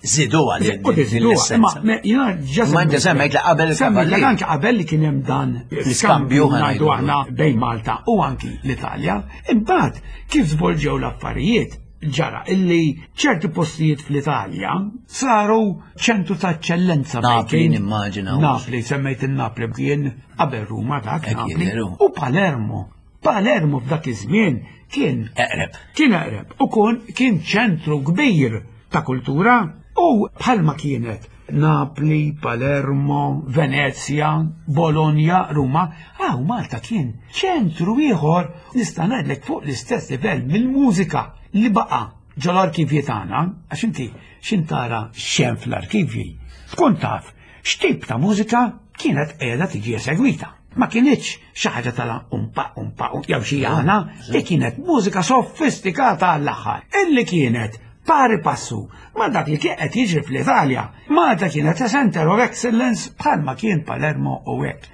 ziduha li U tiżiduha, ma me- jiena ġa Ma inti semmejt li qabel Semmejt li il-Kavalier. anke qabel li kien hemm dan L-iskambju ngħidu ħa ngħidu. aħna bejn Malta u anki l-Italja. Imbagħad kif żvolġew l-affarijiet ġara illi ċerti postijiet fl-Italja saru ċentru ta' eċċellenza Napli, bejn kien- nimmaġina. Napli, semmejt il-Napli kien qabel Ruma dak Hekk Napli jidher hu. u Palermo. Palermo f'dak iż-żmien kien Eqreb. kien eqreb u kon kien ċentru kbir ta' kultura u bħalma kienet Napli, Palermo, Venezia, Bologna, Ruma, ah, u Malta kien ċentru ieħor nista' ngħidlek fuq l-istess livell mill-mużika li baqa' ġol-arkivji tagħna, għax inti x'intara x'hemm fl-arkivji, tkun taf x'tip ta' mużika kienet qiegħda tiġi esegwita. Ma kienitx xi ħaġa tal umpa umpa um, jew xi għana, li kienet mużika sofistikata għall-aħħar, illi kienet pari passu ma dak li kien qed jiġri fl-Italja. Malta kienet a center of excellence bħalma kien Palermo u hekk.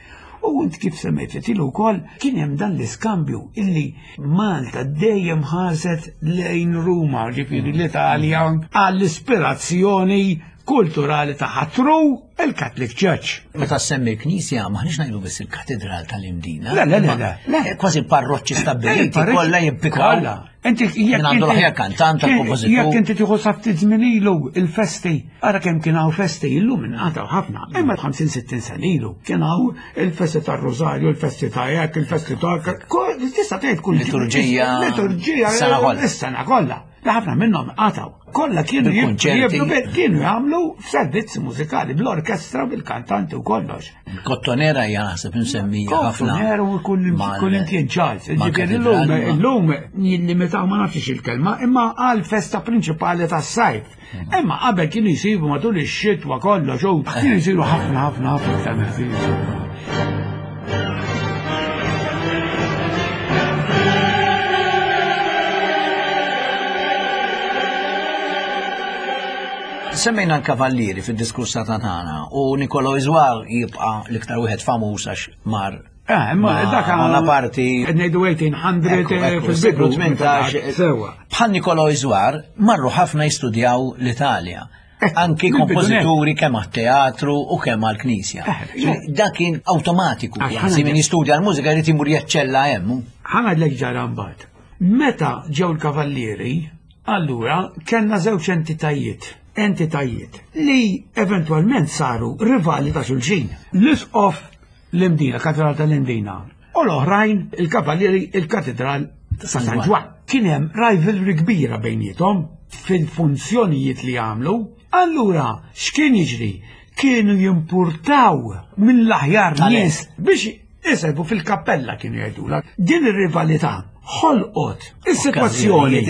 U int kif semmejt tilu wkoll kien hemm dan l-iskambju illi Malta dejjem ħaset lejn Ruma, ġifieri l-Italja għall-ispirazzjoni kulturali tagħha through il-Catholic Church. Meta semmi knisja, maħniex ngħidu biss il-katedral tal-Imdina. Le, le, le, le. Kważi parroċċi stabbiliti kollha jimpikaw. Inti jekk għandu l-aħjar kantant, kompożitur. Jekk inti tieħu sa ftit żmien ilu il-festi, ara kemm kien hawn festi illum inqatgħu ħafna. Imma ħamsin sittin sena ilu kien hawn il-festi tar-Rożarju, il-festi ta' hekk, il-festi ta' tista' tgħid kull liturġija. Liturġija is-sena kollha. Ħafna minnhom qatgħu. Kollha kienu jibnu kienu jagħmlu f'servizzi mużikali bl-orkestra bil-kantanti u kollox. Kottonera hija naħseb insemmija ħafna. Kottonera u kull imkien Charles. Ġifieri illum illum jillimitaw ma nafx il-kelma imma għal festa prinċipali tas-sajf. Imma qabel kienu jsibu matul ix-xitwa kollox u kienu jsiru ħafna ħafna ħafna iktar mill-kienu. Semmejna l-kavallieri fid-diskursa tagħna u Nicolò Iżwar jibqa' l-iktar wieħed famuż għax mar. Eh, imma dak għala parti ngħidu eighteen hundred fil-bidu tmintax. Sewa. Bħal Nicolò Iżwar marru ħafna jistudjaw l-Italja. Anki kompożituri kemm għat-teatru u kemm għall-knisja. Dak kien awtomatiku. Kważi min jistudja l-mużika jrid imur jaċċella hemm. Ħa ngħidlek ġara mbagħad. Meta ġew l-kavallieri, allura kellna żewġ entitajiet. entitajiet li eventwalment saru rivali ta' xulxin. L-isqof l-Imdina, katedral tal-Imdina, u l-oħrajn il-kavallieri il-katedral ta' San Ġwann. Kien hemm rivalry kbira bejniethom fil-funzjonijiet li għamlu. Allura x'kien jiġri? Kienu jimpurtaw mill-aħjar nies biex iservu fil-kappella kienu jgħidulha. Din ir-rivalità ħolqot is-sitwazzjoni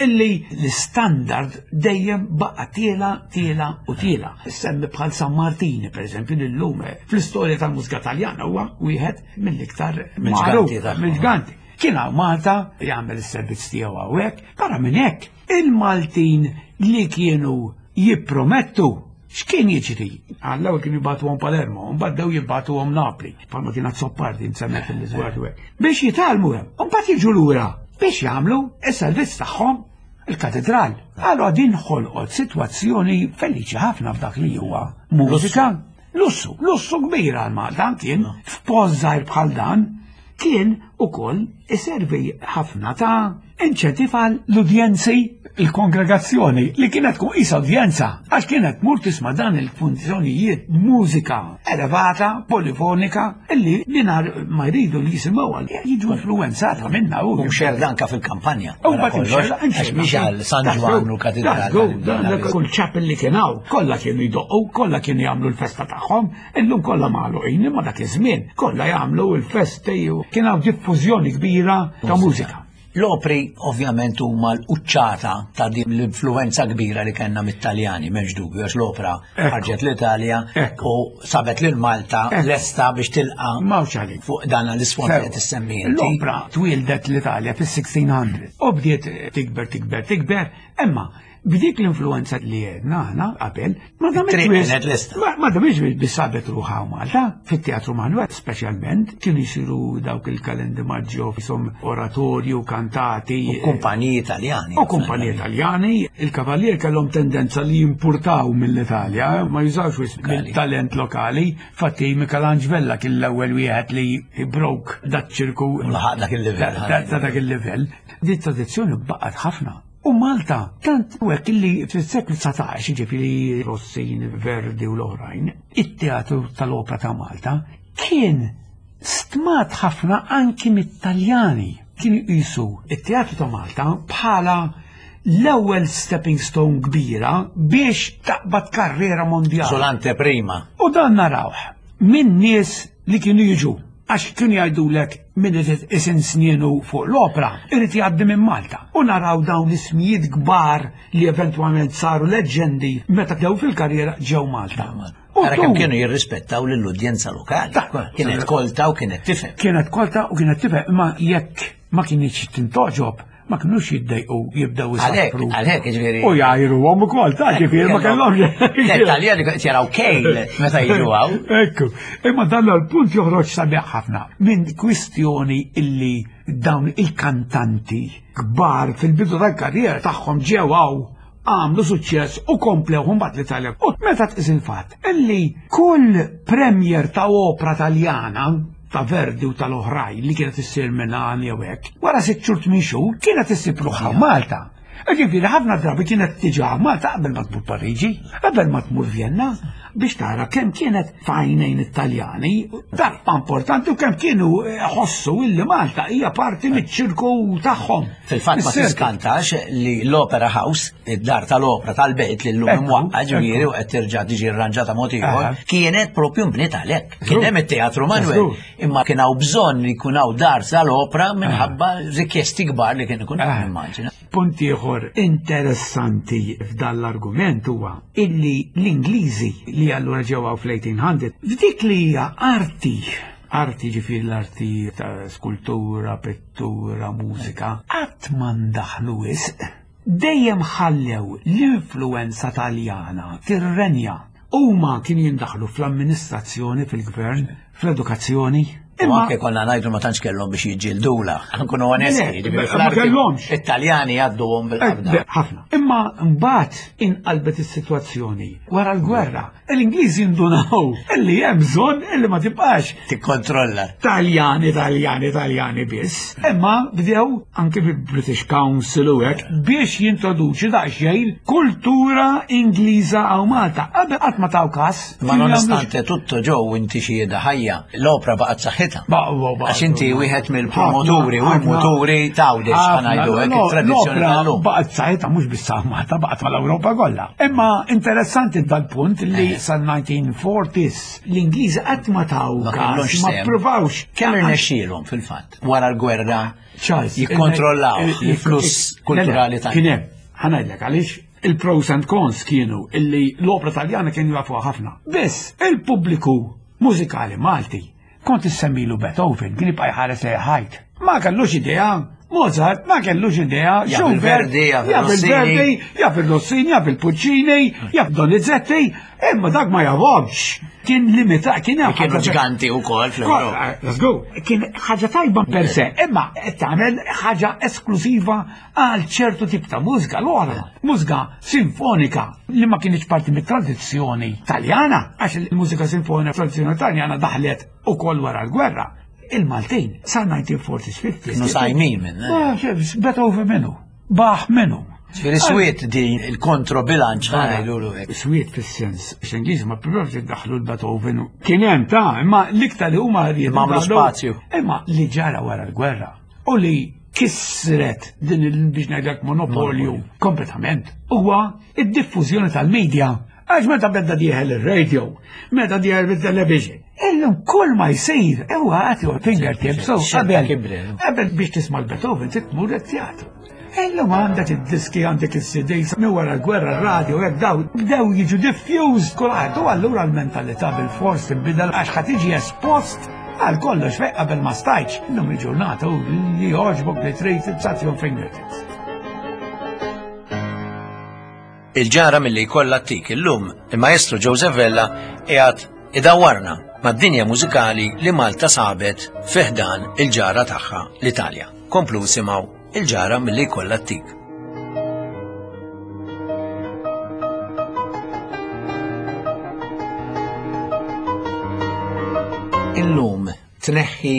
illi l-istandard dejjem baqa' tiela, tiela u tiela. Semmi bħal San Martini, per eżempju, l-lum fl-istorja tal-mużika Taljana huwa wieħed mill-iktar magħruf, mill-ġganti. Kien hawn Malta jagħmel is-servizz tiegħu hawnhekk, barra minn hekk il-Maltin li kienu jippromettu x'kien jiġri? Għall-ewwel kienu jibgħatuhom Palermo, mbagħad dew jibgħatuhom Napli, bħalma kien Azzopardi msemmi fil-Iżwar hekk. Biex jitgħallmu hemm, u mbagħad jiġu lura biex jagħmlu s-servizz tagħhom il-katedral. Allura din ħolqot sitwazzjoni feliċi ħafna f'dak li huwa mużika. Lussu, lussu kbir għal Malta kien f'post żgħir bħal dan kien ukoll iservi ħafna ta' inċentiv għal l-udjenzi, il-kongregazzjoni li kienet tkun qisha udjenza għax kienet tmur tisma' dan il-funzjonijiet mużika elevata, polifonika, illi mingħajr ma jridu li jisimgħu jiġu influenzata minnha u mxerda anke fil-kampanja. U mbagħad imxerda għax mhix għal San Ġwann u katedral. Kull chapel li kien hawn, kollha kienu jdoqqu, kollha kienu jagħmlu l-festa tagħhom, illum kollha magħluqin imma dak iż-żmien kollha jagħmlu l-festi u kien hawn diffużjoni kbira ta' mużika. L-opri ovvjament huma l-quċċata ta' din l-influenza kbira li kellna mit-Taljani, m'hemmx dubju, għax l-opra ħarġet l-Italja u sabet lil Malta lesta biex tilqa' fuq dan l-isfond li qed issemmi inti. L-opra twildet l-Italja fis-sixteen hundred u bdiet tikber, tikber, tikber, imma b'dik l-influenza li għedna aħna qabel, ma damiex biss sabet ruħha Malta, fit-Teatru Manuel speċjalment, kienu jsiru dawk il-kalendi maġġo fisom oratorju, kantati. U kumpaniji Italjani. U kumpaniji Italjani. Il-kavallier kellhom tendenza li jimpurtaw mill-Italja, ma jużawx wisq mill-talent lokali. Fatti Michelangelo Vella kien l-ewwel wieħed li broke dat ċirku. U laħaq dak il-livell. Dak il-livell. Di tradizzjoni baqgħet ħafna. U Malta, tant u hekk illi fis-seklu dsatax, jiġifieri Rossini, Verdi u l-oħrajn, it-teatru tal-opra ta' Malta kien stmat ħafna anki mit-Taljani. Kienu jqisu it-teatru ta' Malta bħala l-ewwel stepping stone kbira biex taqbad karriera mondjali. Solante prima. U dan narawh minn nies li kienu jiġu għax kienu jgħidulek min irid isin snienu fuq l-opra, irid jgħaddi minn Malta. U naraw dawn ismijiet kbar li eventwalment saru leġġendi meta bdew fil-karriera ġew Malta. Ara kemm kienu jirrispettaw lill-udjenza lokali. Kienet kolta u kienet tifhem. Kienet kolta u kienet tifhem, imma jekk ma kienx tintoġob, ma kinux jiddejqu jibdew isafru. Għalhekk jiġifieri. U jgħajruhom ukoll, ta' ġifieri ma kellhomx. L-Italjani qed jaraw kejl meta jiġu hawn. Ekku, imma dan l-punt joħroġ sabiħ ħafna minn kwistjoni illi dawn il-kantanti kbar fil-bidu tal-karriera tagħhom ġew hawn għamlu suċċess u komplew mbagħad l-Italja. U meta tqis il-fatt illi kull premiere ta' opra Taljana ta' Verdi u tal-oħrajn li kienet issir minn jew hekk, wara sitt xhur tmien xhur kienet issib ruħha Malta. Ġifieri ħafna drabi kienet tiġi Malta qabel ma tmur Pariġi, qabel ma tmur Vienna, biex tara kemm kienet f'għajnejn it-Taljani, dak importanti u kemm kienu ħossu illi Malta hija parti miċ-ċirku tagħhom. Fil-fatt ma tiskantax li l-Opera House, id-dar tal-opra tal-belt li llum imwaqqa ġifieri u qed terġa' tiġi rranġata mod ieħor, kienet propju mbniet għalhekk. Kien hemm it-Teatru Manuel, imma kien hawn bżonn li jkun hawn dar tal-opra minħabba rikjesti kbar li kien ikun hemm immaġina. Punt ieħor interessanti f'dan l-argument huwa illi l-Ingliżi li allura ġew fl-eighteen hundred f'dik li hija arti, arti ġifieri l-arti ta' skultura, pittura, mużika, qatt ma ndaħlu wisq, dejjem ħallew l-influenza Taljana tirrenja. Huma kienu jindaħlu fl-amministrazzjoni, fil-gvern, fl-edukazzjoni. U anke konna ngħidu ma tantx kellhom biex jiġġildula, nkunu onesti, Le, ġifieri ma fl-arti kellhomx. It-Taljani jgħadduhom bil-qabda. Eh, ħafna. Imma mbagħad inqalbet is-sitwazzjoni wara l-gwerra. L-Ingliżi ndunaw illi hemm bżonn illi ma tibqax tikkontrolla. Taljani, Taljani, Taljani biss. Imma bdew anke fil-British Council u hekk biex jintroduċi daqsxejn kultura Ingliża hawn Malta. Qabel qatt ma taw każ. Ma nonostante tutto ġew inti xhieda ħajja, l-opra baqgħet saħħitha. Baqgħu, baqgħu. Għax inti wieħed mill-promoturi u Ħafna, l-muturi t'Għawdex, ħafna. ħanajdu hekk, No, it-tradizzjoni l-opra tal-lum. Baqgħet saħħitha mhux biss Malta, baqgħet mal-Ewropa kollha. Imma interessanti dal-punt li sal-nineteen forties l-Ingliżi qatt ma taw Ma każ, kellhomx ma sehem. ppruvawx. Kemm irnexxielhom fil-fatt wara l-gwerra Charles, jikkontrollaw il- il- l-fluss il- kulturali le, tagħna. Kien hemm, ħa ngħidlek għaliex il-pros and cons kienu illi l-opra Taljana kienu jafuha ħafna. Biss il-pubbliku mużikali Malti kont issemmilu Beethoven, kien jibqa' jħares lejn ħajt. Ma kellux idea, Mozart ma kellux idea, Jaf Schubert, il-Verdi, jaf jaf il-Rossini. il-Verdi, jaf il-Rossini, jaf il-Puccini, jaf Donizetti, imma dak ma jafhomx. Kien limitat, kien hemm Kienu ħaġa- ġganti wkoll fl-Ewropa. Eh, let's go. Kien ħaġa tajba per se, imma qed tagħmel ħaġa esklusiva għal ċertu tip ta' mużika l-oħra, mużika sinfonika li ma kienx parti mit-tradizzjoni Taljana, għax il-mużika sinfonika tradizzjoni Taljana daħlet ukoll wara l-gwerra. Il-Maltin sa nineteen forties fifties. Kienu sajmin minn, eh? Ah, xef, Beethoven minnu, Bach minnu. Ġifieri swiet din il-kontrobilanċ ħa ngħidulu hekk. Swiet fis-sens, għax l-Ingliżi ma ppruvawx jiddaħħlu l-Beethoven. Kien hemm ta' imma l-iktar li huma riedu Imma għamlu daħlu- spazju. Imma li ġara wara l-gwerra u li kisret din il biex ngħidlek monopolju kompletament huwa id-diffużjoni tal-medja. Għax meta beda dieħel ir-radio, meta dieħel bit-television, illum kull ma jsir huwa at your fingertips. So, Xelta qabel kibret. qabel biex tisma' l-Beethoven trid tmur it-teatru. Illum għandek id-diski, għandek is-C Ds, minn wara l-gwerra, r-radio, hekk daw, bdew jiġu diffused kulħadd. U allura l-mentalità bil-fors tinbidel għax ħa tiġi espost għal kollox fejn qabel ma stajtx. Illum il-ġurnata u li jogħġbok li trid it's at your fingertips. Il-ġara milli jkollha tik illum, il-maestro Joseph Vella qiegħed idawwarna mad-dinja mużikali li Malta sabet fi ħdan il-ġara tagħha l-Italja. Komplu simgħu il-ġara milli jkollha tik. Illum tneħħi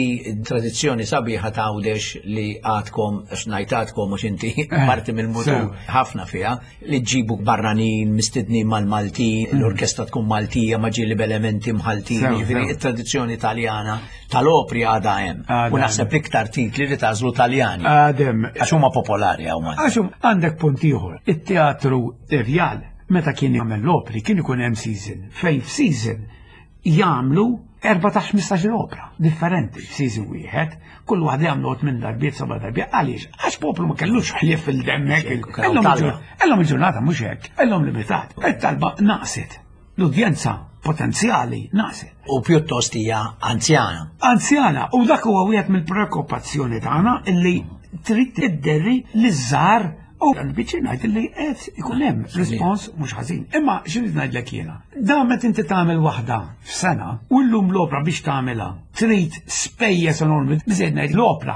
tradizzjoni sabiħa ta' Għawdex li għadkom, għax ngħid għadkom mhux inti parti mill-mutur sew. ħafna fiha, li ġibu barranin, mistednin mal-Maltin, Mm. l-orkestra tkun Maltija, ma ġieli b'elementi mħaltin, Sew, jiġifieri sew. it-tradizzjoni Taljana tal-opri għadha hemm. Għadha U naħseb l-iktar titli li tagħżlu Taljani. Għadem. Għax huma popolari hawn Malta. Għax hum għandek punt ieħor. It-teatru Rjal, meta kien jagħmel l-opri, kien ikun hemm season. Fejn f'season jagħmlu erbatax ħmistax il-opra differenti f'season wieħed, kull waħda jagħmlu tmien darbiet, seba' darbiet. Għaliex? Għax poplu ma kellux ħlief fil-demmek. Xejn, Illum talba. il-ġur-, illum il-ġurnata mhux hekk, illum limitat. It-talba naqset. L-udjenza potenzjali naqset. U pjuttost hija anzjana. Anzjana, u dak huwa wieħed mill-preokkupazzjoni tagħna illi trid tidderri liż-żgħar u għal-biċċi ngħid illi qed ikun hemm rispons mhux ħażin. Imma x'irrid ngħidlek jiena? Da meta inti tagħmel waħda f'sena u llum l-opra biex tagħmilha trid spejjeż enormi, biżejjed ngħid l-opra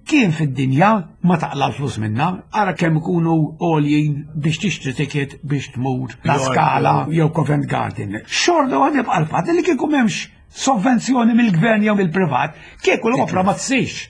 imkien fid-dinja ma taqla l-flus minna, ara kemm ikunu għoljin biex tixtri ticket biex tmur La Scala jew Covent Garden. Xorta għad jibqa' l-fatt li kieku m'hemmx sovvenzjoni mill-gvern jew mill-privat, kieku l-opra ma tsirx.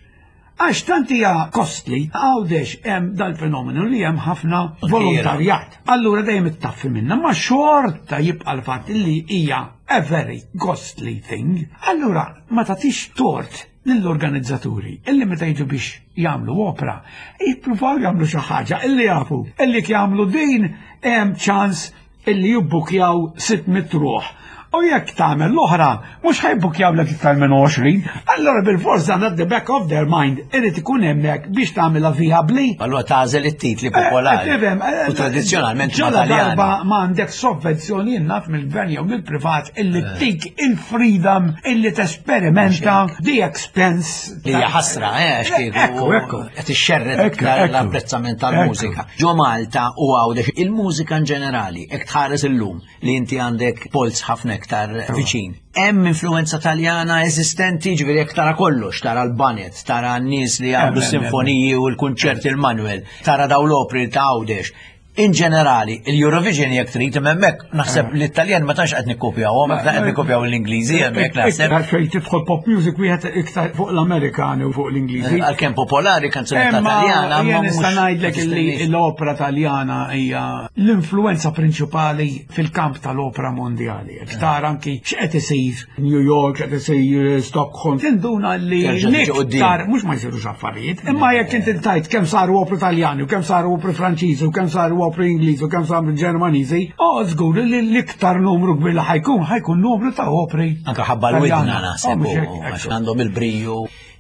Għax tant hija costly, Għawdex hemm dal-fenomenu li hemm ħafna volontarjat. Allura dejjem ittaffi minna, ma xorta jibqa' l-fatt li hija a very costly thing. Allura ma tagħtix tort lill-organizzaturi illi meta jiġu biex jagħmlu opra, jippruvaw jagħmlu xi ħaġa illi jafu illi jagħmlu din hemm ċans illi jibbukjaw sitt mitt ruħ. U jekk tagħmel l-oħra, mhux ħa jibbukkjawlek iktar minn għoxrin, allura bil-forsa at the back of their mind irid ikun hemmhekk biex tagħmilha viabli. Allura tagħżel it-titli popolari. Eh, eh, U tradizzjonalment ma Ġala Taljani. darba ma għandek sovvenzjoni naf mill-gvern jew mill-privat illi tik il-freedom illi tesperimenta the expense. Li hija ħasra, eh, għax kieku Ekku, ekku. qed ixxerred Ekku, iktar ekku. l-apprezzament tal-mużika. Ġo Malta u Għawdex il-mużika in ġenerali, hekk tħares illum li inti għandek polz ħafna iktar viċin. Hemm influenza Taljana eżistenti, ġifieri jekk tara kollox, tara l-banet, tara n-nies li jagħmlu Hemm, hemm, sinfoniji u l-kunċerti il-Manuel, tara daw l-opri ta' Għawdex. In ġenerali, il-Eurovision jekk trid hemmhekk naħseb l-Italjan ma tantx qed nikkopjaw, qed nikkopjaw l-Ingliżi hemmhekk naħseb. Iktar fejn tidħol pop music wieħed iktar fuq l-Amerikani u fuq l-Ingliżi. Għalkemm popolari kanzunetta Imma Taljana, ma jien nista' mhux ngħidlek illi l-opera Taljana hija l-influenza prinċipali fil-kamp tal-opera mondjali. Iktar anki x'qed isir New York, x'qed isir Stockholm. Tinduna li Terġa' tiġi quddiem. l-iktar mhux ma jsirux affarijiet, imma jekk inti tajt kemm saru opri Taljani u kemm saru opri Franċiżi u kemm saru opri Ingliżi u kemm saru Ġermaniżi, oh żgur li l-iktar numru kbir li ħa jkun ħa jkun numru ta' opri. Anka ħabba l-widna Taljana. naħseb, Oh, mhux u- hekk, għax ekku. għandhom il-briju.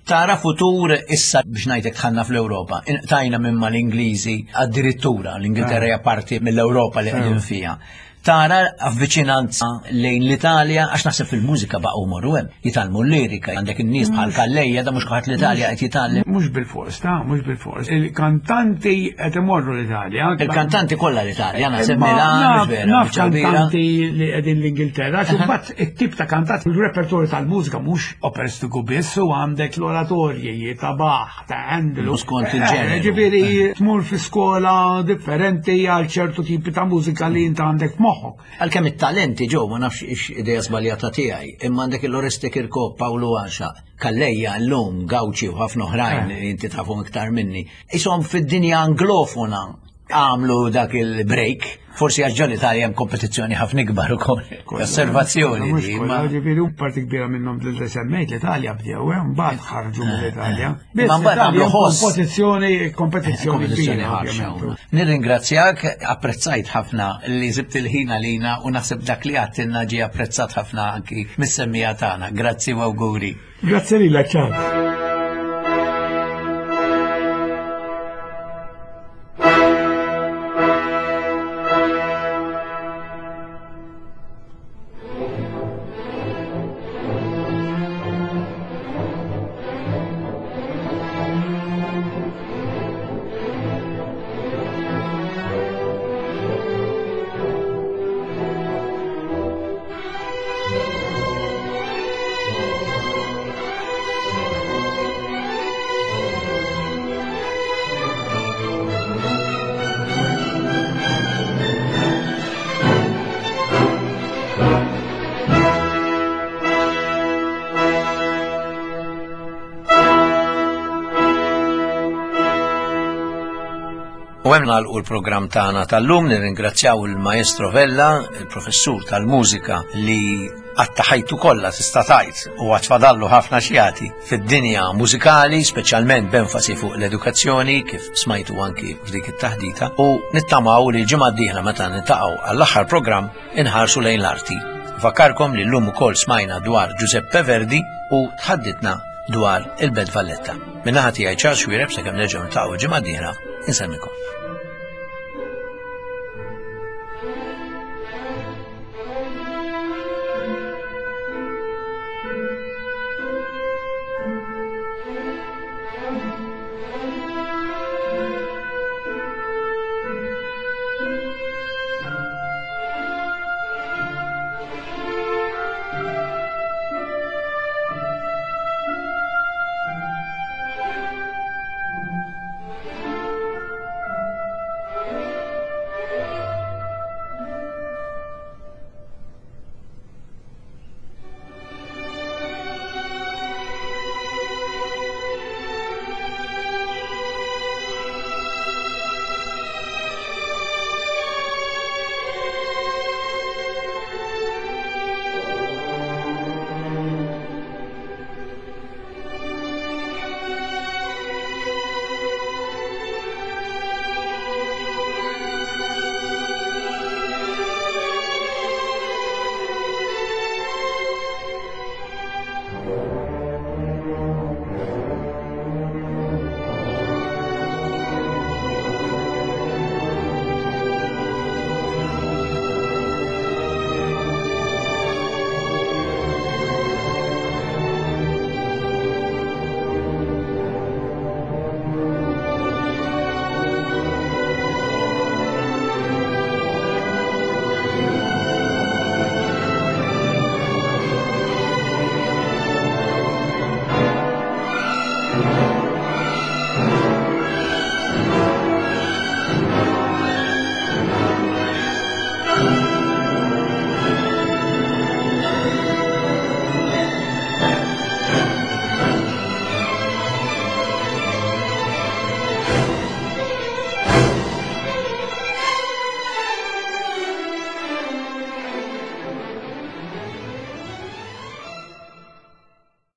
Tara futur issa biex ngħidlek dħalna fl-Ewropa. Tajna minn mal-Ingliżi addirittura, l-Ingilterra hija parti mill-Ewropa li qegħdin fiha. Tara avviċinanza lejn l-Italja, għax naħseb fil-mużika baqgħu morru hemm. Jitgħallmu l-lirika, għandek in-nies bħal Calleja, da mhux kulħadd l-Italja qed jitgħallem. Mhux bil-fors, ta' mhux bil-fors. Il-kantanti qed imorru l-Italja. Il-kantanti kollha l-Italja, naħseb Imma Milan, naf- mhux vera, Naf biċċa kbira. kantanti li qegħdin l-Ingilterra, għax imbagħad it-tip ta' kantanti, il-repertorju tal-mużika mhux operistiku biss, u għandek l-oratorji ta' Bach, ta' Handel. U skont il-ġeneru. Eh, Ġifieri tmur fi skola differenti għal ċertu tipi ta' mużika li inta għandek f'moħħok. Għalkemm it-talenti ġew ma nafx ix idea żbaljata tiegħi, imma għandek il-Oreste Kirkop, Pawlu Għaxa, Calleja llum, Gauci u ħafna oħrajn li inti tafhom iktar minni. Isom fid-dinja anglofona għamlu dak il-break, forsi għax ġol-Italja hemm kompetizzjoni ħafna ikbar ukoll. Osservazzjoni Mhux di, kollha, ma Ġifieri u parti kbira minnhom li semmejt l-Italja bdew, eh, mbagħad ħarġu mill-Italja. Ma mbagħad għamlu ħoss. Kompetizzjoni, kompetizzjoni kompetizzjoni kbira, ħarxa. ovvjament. Nirringrazzjak, apprezzajt ħafna li sibt il-ħin għalina u naħseb dak li għedtilna ġie apprezzat ħafna anki mis-semmiegħa tagħna. Grazzi u awguri. Grazzi lilek, Charles. U hemm nagħlqu l-programm tagħna tal-lum, nirringrazzjaw il-Maestro Vella, il-professur tal-mużika li għatta ħajtu kollha tista' tgħid u għad fadallu ħafna x'jagħti fid-dinja mużikali, speċjalment b'enfasi fuq l-edukazzjoni kif smajtu anki f'dik it-taħdita, u nittamaw li l-ġimgħa d-dieħla meta niltaqgħu għall-aħħar programm inħarsu lejn l-arti. Fakkarkom li llum ukoll smajna dwar Giuseppe Verdi u tħadditna dwar il-Belt Valletta. Min-naħa tiegħi Charles Xuereb sakemm nerġgħu niltaqgħu l-ġimgħa d-dieħla, inselmilkom.